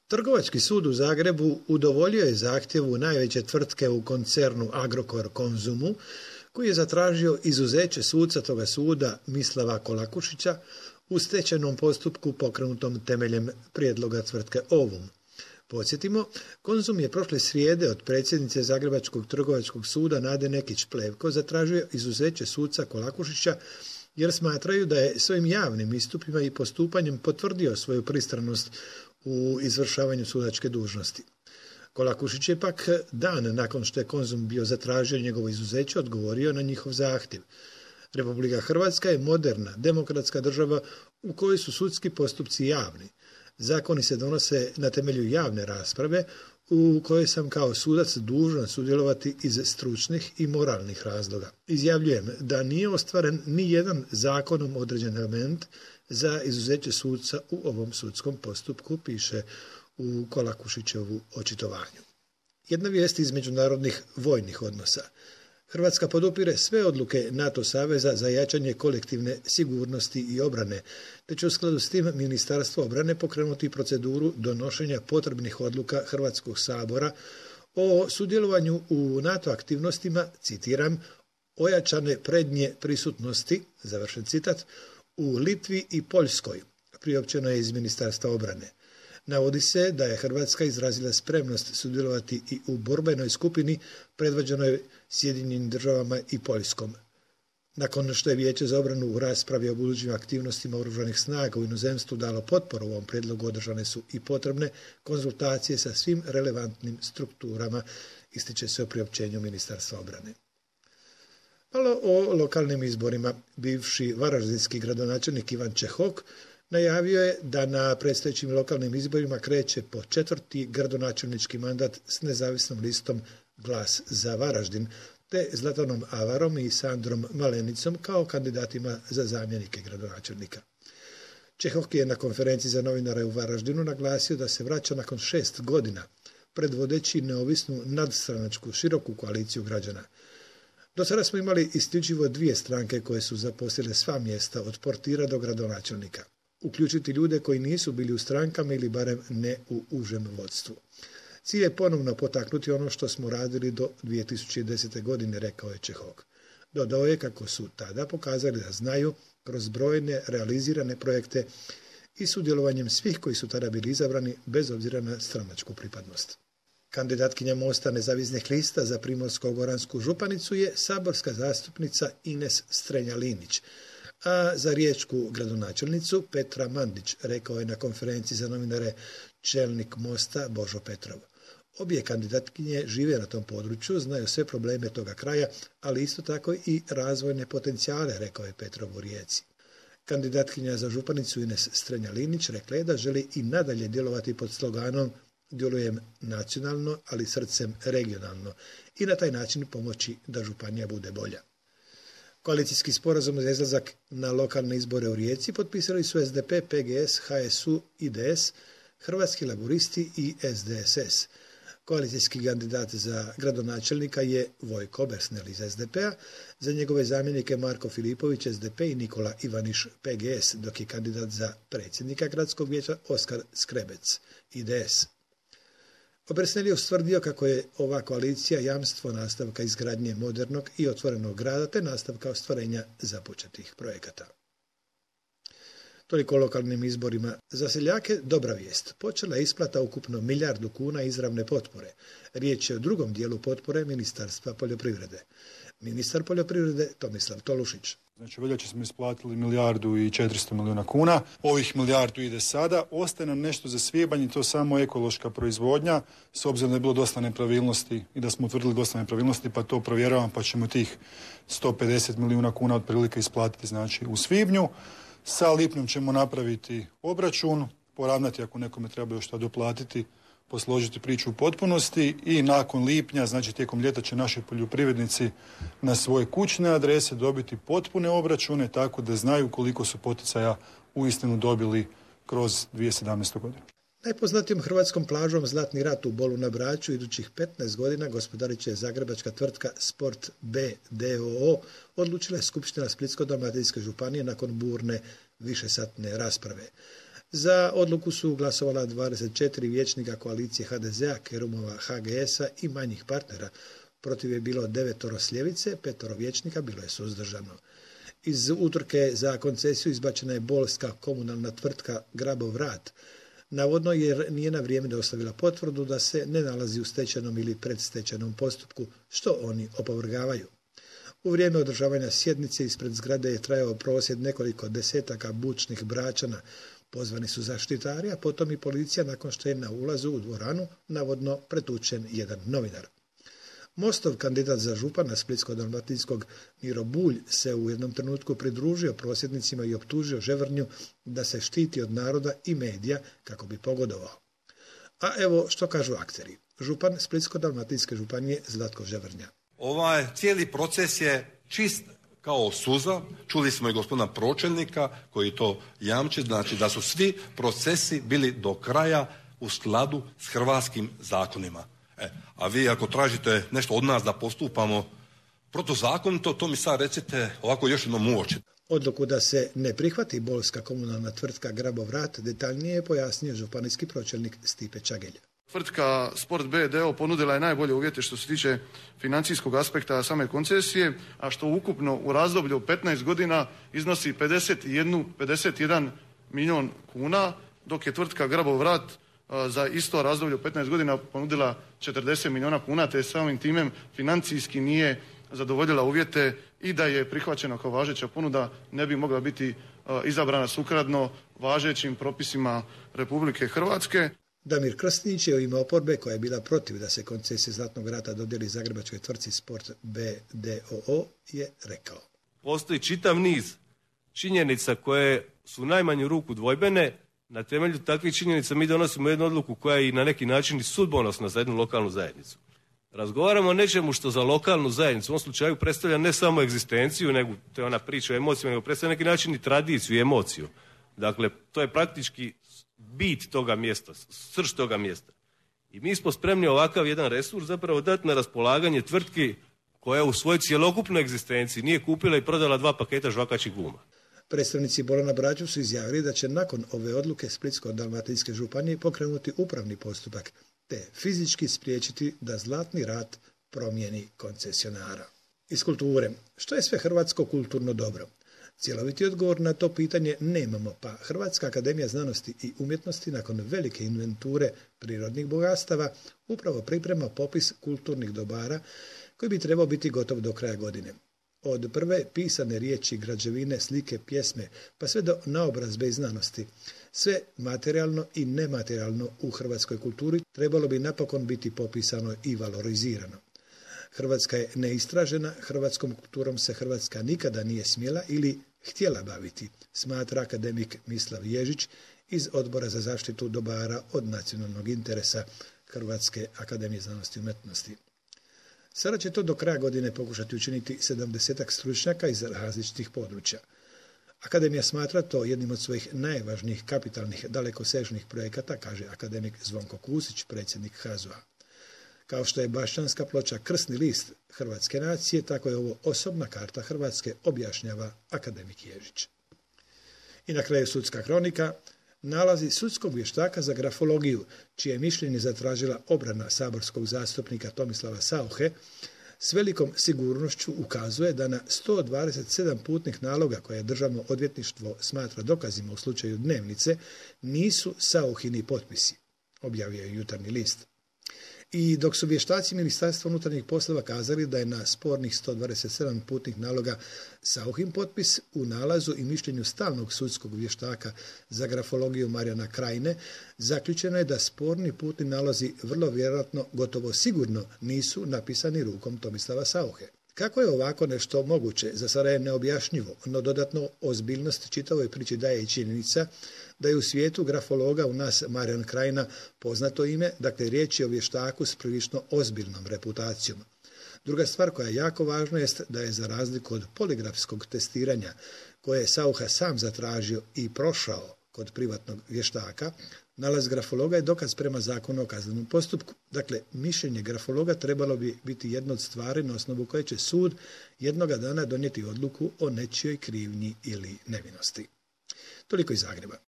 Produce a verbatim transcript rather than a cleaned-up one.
Trgovački sud u Zagrebu udovoljio je zahtjevu najveće tvrtke u koncernu Agrokor Konzumu, koji je zatražio izuzeće suca toga suda Mislava Kolakušića u stečajnom postupku pokrenutom temeljem prijedloga tvrtke Ovum. Podsjetimo, Konzum je prošle srijede od predsjednice Zagrebačkog trgovačkog suda Nade Nekić-Plevko zatražio izuzeće suca Kolakušića jer smatraju da je svojim javnim istupima i postupanjem potvrdio svoju pristranost u izvršavanju sudačke dužnosti. Kolakušić je pak dan nakon što je Konzum bio zatražio njegovo izuzeće odgovorio na njihov zahtjev. Republika Hrvatska je moderna, demokratska država u kojoj su sudski postupci javni. Zakoni se donose na temelju javne rasprave u kojoj sam kao sudac dužan sudjelovati iz stručnih i moralnih razloga. Izjavljujem da nije ostvaren ni jedan zakonom određen element za izuzeće suca u ovom sudskom postupku, piše u Kolakušićevu očitovanju. Jedna vijest iz međunarodnih vojnih odnosa. Hrvatska podupire sve odluke NATO saveza za jačanje kolektivne sigurnosti i obrane, te će u skladu s tim Ministarstvo obrane pokrenuti proceduru donošenja potrebnih odluka Hrvatskog sabora o sudjelovanju u NATO aktivnostima, citiram, ojačane prednje prisutnosti, završen citat, u Litvi i Poljskoj, priopćeno je iz Ministarstva obrane. Navodi se da je Hrvatska izrazila spremnost sudjelovati i u borbenoj skupini predvođenoj Sjedinjenim državama i Poljskom. Nakon što je Vijeće za obranu u raspravi o budućim aktivnostima oružanih snaga u inozemstvu dalo potporu ovom prijedlogu, održane su i potrebne konzultacije sa svim relevantnim strukturama, ističe se u priopćenju Ministarstva obrane. Malo o lokalnim izborima. Bivši varaždinski gradonačelnik Ivan Čehok najavio je da na predstojećim lokalnim izborima kreće po četvrti gradonačelnički mandat s nezavisnom listom Glas za Varaždin, te Zlatanom Avarom i Sandrom Malenicom kao kandidatima za zamjenike gradonačelnika. Čehok je na konferenciji za novinare u Varaždinu naglasio da se vraća nakon šest godina, predvodeći neovisnu nadstranačku široku koaliciju građana. Do sada smo imali isključivo dvije stranke koje su zaposlile sva mjesta od portira do gradonačelnika. Uključiti ljude koji nisu bili u strankama ili barem ne u užem vodstvu. Cilj je ponovno potaknuti ono što smo radili do dvije tisuće desete. godine, rekao je Čehok. Dodao je kako su tada pokazali da znaju kroz brojne realizirane projekte i sudjelovanjem svih koji su tada bili izabrani bez obzira na stranačku pripadnost. Kandidatkinja Mosta nezavisnih lista za Primorsko-goransku županicu je saborska zastupnica Ines Strenja-Linić, a za riječku gradonačelnicu Petra Mandić, rekao je na konferenciji za novinare čelnik Mosta Božo Petrov. Obje kandidatkinje žive na tom području, znaju sve probleme toga kraja, ali isto tako i razvojne potencijale, rekao je Petrov u Rijeci. Kandidatkinja za županicu Ines Strenja-Linić rekla je da želi i nadalje djelovati pod sloganom "Djelujem nacionalno, ali srcem regionalno" i na taj način pomoći da županija bude bolja. Koalicijski sporazum za izlazak na lokalne izbore u Rijeci potpisali su S D P, P G S, H S U, I D S, Hrvatski laburisti i S D S S. Koalicijski kandidat za gradonačelnika je Vojko Obersnel iz S D P-a, za njegove zamjenike Marko Filipović S D P i Nikola Ivaniš P G S, dok je kandidat za predsjednika gradskog vijeća Oskar Skrebec I D S. Obersnel je ustvrdio kako je ova koalicija jamstvo nastavka izgradnje modernog i otvorenog grada te nastavka ostvarenja započetih projekata. Toliko o lokalnim izborima. Za seljake dobra vijest. Počela je isplata ukupno milijardu kuna izravne potpore. Riječ je o drugom dijelu potpore Ministarstva poljoprivrede. Ministar poljoprivrede Tomislav Tolušić. Znači, veljače smo isplatili milijardu i četiristo milijuna kuna. Ovih milijardu ide sada. Ostaje nam nešto za svibanj i to samo ekološka proizvodnja. S obzirom da je bilo dosta nepravilnosti i da smo utvrdili dosta nepravilnosti, pa to provjeravam, pa ćemo tih sto pedeset milijuna kuna otprilike isplatiti, znači, u svibnju. Sa lipnjom ćemo napraviti obračun, poravnati ako nekome treba još šta doplatiti, posložiti priču u potpunosti i nakon lipnja, znači tijekom ljeta će naši poljoprivrednici na svoje kućne adrese dobiti potpune obračune tako da znaju koliko su poticaja uistinu dobili kroz dvije tisuće sedamnaeste. godinu. Najpoznatijom hrvatskom plažom Zlatni rat u Bolu na Braču idućih petnaest godina gospodarit će zagrebačka tvrtka Sport B d o o, odlučila je Skupština Splitsko-dalmatinske županije nakon burne višesatne rasprave. Za odluku su glasovala dvadeset četiri vijećnika koalicije ha de zea, Kerumova, ha ge esa i manjih partnera. Protiv je bilo devetoro s ljevice, petoro vijećnika bilo je suzdržano. Iz utrke za koncesiju izbačena je bolska komunalna tvrtka Grabovrat, navodno jer nije na vrijeme dostavila potvrdu da se ne nalazi u stečajnom ili predstečajnom postupku, što oni opovrgavaju. U vrijeme održavanja sjednice ispred zgrade je trajao prosvjed nekoliko desetaka bučnih Bračana. Pozvani su zaštitari, a potom i policija nakon što je na ulazu u dvoranu navodno pretučen jedan novinar. Mostov kandidat za župana Splitsko-dalmatinskog Miro Bulj se u jednom trenutku pridružio prosvjednicima i optužio Ževrnju da se štiti od naroda i medija kako bi pogodovao. A evo što kažu akteri. Župan Splitsko-dalmatinske županije Zlatko Ževrnja. Ovaj cijeli proces je čist kao suza. Čuli smo i gospodina pročelnika koji to jamči, znači da su svi procesi bili do kraja u skladu s hrvatskim zakonima. E, a vi ako tražite nešto od nas da postupamo protuzakonito, to mi sad recite ovako još jednom u oči. Odluku da se ne prihvati bolska komunalna tvrtka Grabovrat detaljnije je pojasnio županijski pročelnik Stipe Čagelj. Tvrtka Sport B d o ponudila je najbolje uvjete što se tiče financijskog aspekta same koncesije, a što ukupno u razdoblju petnaest godina iznosi pedeset jedan milijun kuna, dok je tvrtka Grabovrat za isto razdoblje petnaest godina ponudila četrdeset milijuna kuna, te samim time financijski nije zadovoljila uvjete i da je prihvaćena kao važeća ponuda ne bi mogla biti izabrana sukladno važećim propisima Republike Hrvatske. Damir Krstinić je u ime oporbe koja je bila protiv da se koncesija Zlatnog rata dodijeli zagrebačkoj tvrtci Sport B d o o je rekao. Postoji čitav niz činjenica koje su u najmanju ruku dvojbene. Na temelju takvih činjenica mi donosimo jednu odluku koja je i na neki način i sudbonosna za jednu lokalnu zajednicu. Razgovaramo o nečemu što za lokalnu zajednicu u ovom slučaju predstavlja ne samo egzistenciju, nego to je ona priča o emocijama, nego predstavlja na neki način i tradiciju i emociju. Dakle, to je praktički bit toga mjesta, srž toga mjesta. I mi smo spremni ovakav jedan resurs zapravo dati na raspolaganje tvrtki koja u svojoj cjelokupnoj egzistenciji nije kupila i prodala dva paketa žvakaćih guma. Predstavnici Borana Braču su izjavili da će nakon ove odluke Splitsko-dalmatinske županije pokrenuti upravni postupak, te fizički spriječiti da Zlatni rat promijeni koncesionara. Iz kulture. Što je sve hrvatsko kulturno dobro? Cjeloviti odgovor na to pitanje nemamo, pa Hrvatska akademija znanosti i umjetnosti nakon velike inventure prirodnih bogatstava upravo priprema popis kulturnih dobara koji bi trebao biti gotov do kraja godine. Od prve pisane riječi, građevine, slike, pjesme, pa sve do naobrazbe i znanosti. Sve materijalno i nematerijalno u hrvatskoj kulturi trebalo bi napokon biti popisano i valorizirano. Hrvatska je neistražena, hrvatskom kulturom se Hrvatska nikada nije smjela ili htjela baviti, smatra akademik Mislav Ježić iz Odbora za zaštitu dobara od nacionalnog interesa Hrvatske akademije znanosti i umjetnosti. Sada će to do kraja godine pokušati učiniti sedamdesetak stručnjaka iz različitih područja. Akademija smatra to jednim od svojih najvažnijih kapitalnih dalekosežnih projekata, kaže akademik Zvonko Kusić, predsjednik ha z o a. Kao što je Bašćanska ploča krsni list hrvatske nacije, tako je ovo osobna karta Hrvatske, objašnjava akademik Ježić. I na kraju sudska kronika, nalazi sudskog vještaka za grafologiju, čije mišljenje zatražila obrana saborskog zastupnika Tomislava Sauche, s velikom sigurnošću ukazuje da na sto dvadeset sedam putnih naloga koje Državno odvjetništvo smatra dokazima u slučaju Dnevnice nisu Sauchini potpisi, objavio je Jutarnji list. I dok su vještaci Ministarstva unutarnjih poslova kazali da je na spornih sto dvadeset sedam putnih naloga Sauchin potpis, u nalazu i mišljenju stalnog sudskog vještaka za grafologiju Marijana Krajine zaključeno je da sporni putni nalozi vrlo vjerojatno, gotovo sigurno, nisu napisani rukom Tomislava Sauche. Kako je ovako nešto moguće, za sada je neobjašnjivo, no dodatno ozbiljnost čitavoj priči daje i činjenica da je u svijetu grafologa u nas Marijan Krajina poznato ime, dakle riječ je o vještaku s prilično ozbiljnom reputacijom. Druga stvar koja je jako važna jest da je za razliku od poligrafskog testiranja koje je Saucha sam zatražio i prošao kod privatnog vještaka, nalaz grafologa je dokaz prema zakonu o kaznenom postupku. Dakle, mišljenje grafologa trebalo bi biti jedna od stvari na osnovu koje će sud jednoga dana donijeti odluku o nečijoj krivnji ili nevinosti. Toliko iz Zagreba.